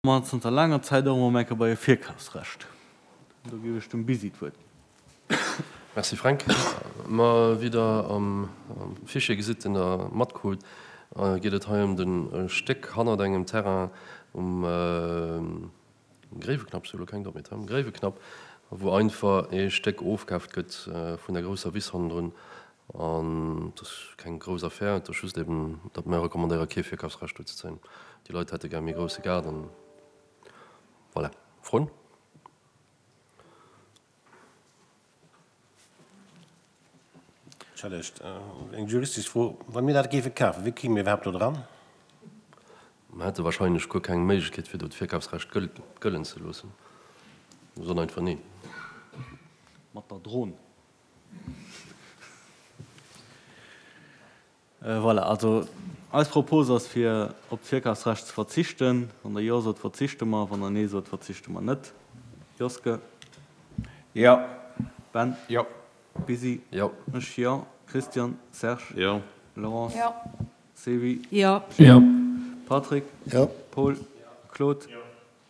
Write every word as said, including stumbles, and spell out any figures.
Mer zanter laanger Zäit och emol eng Kéier bei e Virkafsrecht. Do géif ech dem Bisi d'Wuert ginn. Merci Fränk. Ma wéi Der am Fichier gesitt, deen Der matkrut, geet et hei ëm de Stéck hannert engem Terrain um Gréiweknapp, ech hu elo keng Drot méi, um Gréiweknapp, wou einfach ee Stéck ofkaaft gëtt vun der grousser Wiss hannendrun. An et ass keng grouss Affär, et ass just eben, datt mir recommandéiere kee Virkafsrecht do ze zéien. Déi Leit hätte gär méi grousse Gaart an voilà. Froen? Ech hätt echt eng juristesch Fro. Wa mir dat géife kafen, wéi kéime mir iwwerhaapt do dran? Mer hätte wahrscheinlech guer keng Méiglechkeet fir do d'Virkafsrecht gëllen ze loossen. Mir soen einfach neen. Mat der Dron. Voilà, also eis Propos ass fir op d'Virkafsrecht ze verzichten. Wann Der Jo sot, verzichte mer. Wann Der Nee sot, verzichte mer net. Joske? Jo. Ben? Jo. Bisi? Jo. Ech jo. Christian? Serge? Jo. Laurence? Jo. Sevi? Jo. Gilles? Jo. Patrick? Jo. Paul? Claude?